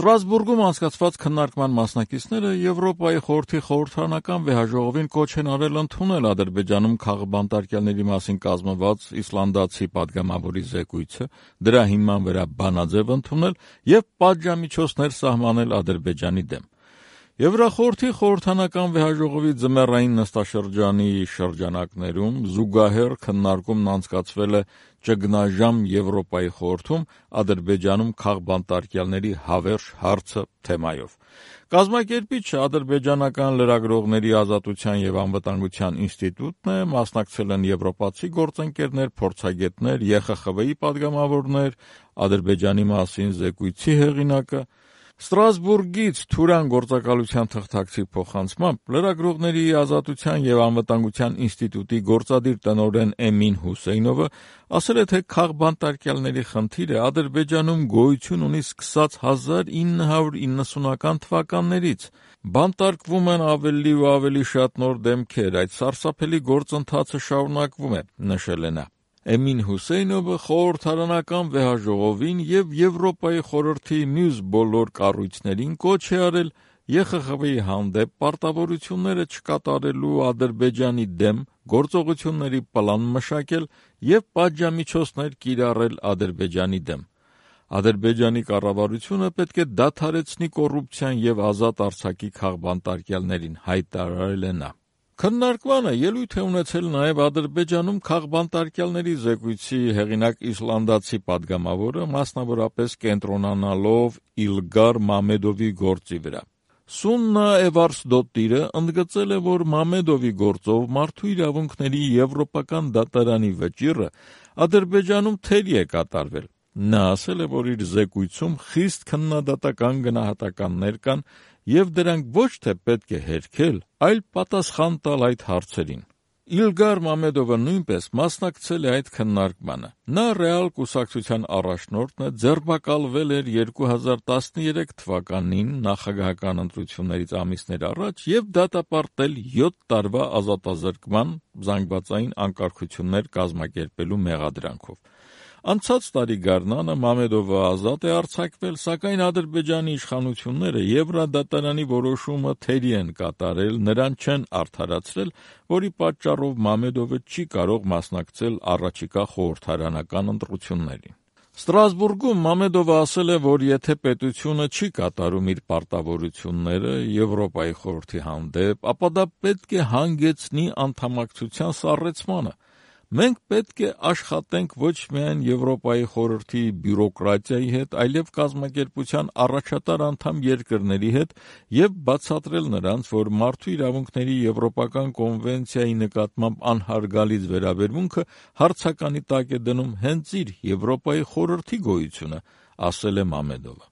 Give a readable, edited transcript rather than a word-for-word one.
Ստրասբուրգում անցկացված քննարկման մասնակիցները Եվրոպայի խորհրդի խորհրդարանական վեհաժողովին կոչ են արել ընդունել Ադրբեջանում քաղբանտարկյալների մասին կազմված իսլանդացի պատգամավորի զեկույցը, դրա հիման վրա բանաձև ընդունել եւ պատժամիջոցներ սահմանել Ադրբեջանի դեմ։ Եվրախորհրդի խորհրդարանական վեհաժողովի ձմեռային նստաշրջանի շրջանակներում զուգահեռ քննարկումն անցկացվել է ճգնաժամ Եվրոպայի խորհրդում Ադրբեջանում քաղբանտարկյալների հավերժ հարցը թեմայով։ Կազմակերպիչը ադրբեջանական լրագրողների ազատության եւ անվտանգության ինստիտուտն է, մասնակցել են եվրոպացի գործընկերներ, փորձագետներ, ԵԽԽՎ-ի պատգամավորներ, Ադրբեջանի մասին զեկույցի հեղինակը։ Ստրասբուրգից Թուրան գործակալության թղթակցի փոխանցմամբ լրագրողների ազատության եւ անվտանգության ինստիտուտի գործադիր տնօրեն Էմին Հուսեյնովը ասել է, թե քաղբանտարկյալների խնդիրը Ադրբեջանում գոյություն ունի սկսած 1990-ական թվականներից։ Բանտարկվում են ավելի ու ավելի շատ նոր դեմքեր, այդ սարսափելի գործընթացը շարունակվում է, նշել է նա։ Էմին Հուսեյնովը խորհրդարանական վեհաժողովին եւ Եվրոպայի խորհրդի մյուս բոլոր կառույցներին կոչ է արել ԵԽԽՎ-ի հանդեպ պարտավորությունները չկատարելու Ադրբեջանի դեմ գործողությունների պլան մշակել եւ պատժամիջոցներ կիրառել Ադրբեջանի դեմ։ Ադրբեջանի կառավարությունը պետք է դադարեցնի կոռուպցիան եւ ազատ արձակի քաղբանտարկյալներին, հայտարարել է նա։ Քննարկմանը ելույթ է ունեցել նաև Ադրբեջանում քաղբանտարկյալների զեկույցի հեղինակ իսլանդացի պատգամավորը, մասնավորապես կենտրոնանալով Իլգար Մամեդովի գործի վրա։ Սուննա Էվարսդոտիրը ընդգծել է, որ Մամեդովի գործով մարդու իրավունքների եվրոպական դատարանի վճիռը Ադրբեջանում թերի է կատարվել։ Նա ասել է, որ իր զեկույցում խիստ քննադատական գնահատականներ կան եւ դրանք ոչ թե պետք է հերքել, այլ պատասխան տալ այդ հարցերին։ Իլգար Մամեդովը նույնպես մասնակցել է այդ քննարկմանը։ Նա ռեալ կուսակցության առաջնորդն է, ձերբակալվել էր 2013 թվականին նախագահական ընտրություններից ամիսներ առաջ եւ դատապարտել 7 տարվա ազատազրկման զանգվածային անկարգություններ կազմակերպելու մեղադրանքով։ Անցած տարի գարնանը Մամեդովը ազատ է արձակվել, սակայն Ադրբեջանի իշխանությունները Եվրադատարանի որոշումը թերի են կատարել, նրան չեն արդարացրել, որի պատճառով Մամեդովը չի կարող մասնակցել առաջիկա խորհրդարանական ընտրություններին։ Ստրասբուրգում Մամեդովը ասել է, որ եթե պետությունը չի կատարում իր պարտավորությունները Եվրոպայի խորհրդի հանդեպ, ապա դա պետք է հանգեցնի անդամակցության սառեցմանը։ Մենք պետք է աշխատենք ոչ միայն Եվրոպայի խորհրդի բյուրոկրատիայի հետ, այլև կազմակերպության առաջատար անդամ երկրների հետ եւ բացատրել նրանց, որ մարդու իրավունքների Եվրոպական կոնվենցիայի նկատմամբ անհարգալից վերաբերմունքը հարցականի տակ է դնում հենց իր Եվրոպայի խորհրդի գոյությունը, ասել է Մամեդովը։